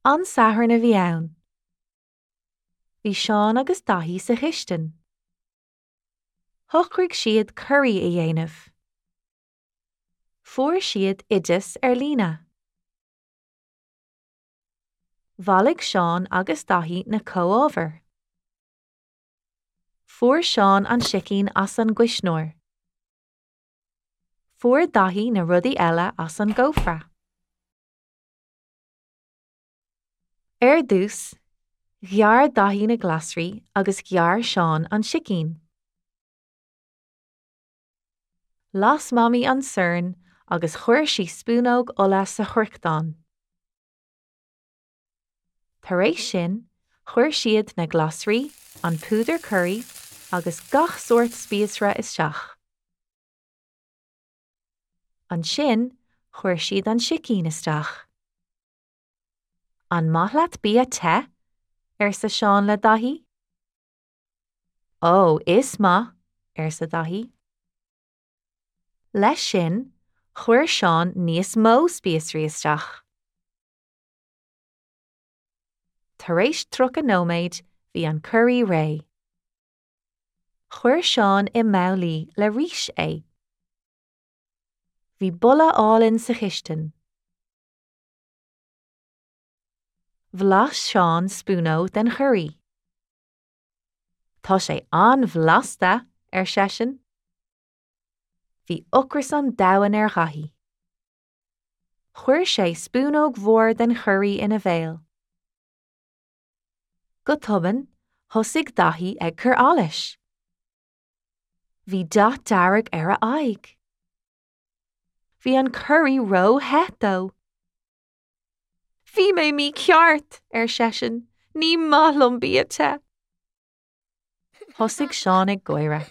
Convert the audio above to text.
An Satharn a bhí ann. Bhí Seán agus Daithí sa chistin. Shocraigh siad curaí a dhéanamh. Fuair siad oideas ar líne. Bhailigh Seán agus Daithí na comhábhair. Fuair Seán an sicín as an gcuisneoir. Fuair Daithí na rudaí eile as an gcófra. Ar dtús, ghearr Daithí na glasraí agus ghearr Seán an sicín. Las Mamaí an sorn agus chuir sí spúnóg ola sa chruiceadán. Tar éis sin, chuir siad na glasraí, an púdar curaí agus gach sórt spíosra isteach. Ansin, chuir siad an sicín isteach. An maith leat bia te? arsa Seán le Daithí. Ó, is maith, arsa Daithí. Leis sin, chuir Seán níos mó spíosraí isteach. Tar éis 30 nóiméad, bhí an curaí réidh. Chuir Seán i mbabhlaí le rís é. Bhí boladh álainn sa chistin. Bhlais Seán spúnóg den churaí. Tá sé an-bhlasta, ar seisean. Bhí ocras an domhain ar Dhaithí. Chuir sé spúnóg mhór den churaí ina bhéal. Go tobann, thosaigh Daithí ag cur allais. Bhí dath dearg ar a aghaidh. Bhí an curaí ró-the dó. Bhí mé mícheart, ar seisean, ní maith liom bia te. Thosaigh Seán ag gáire.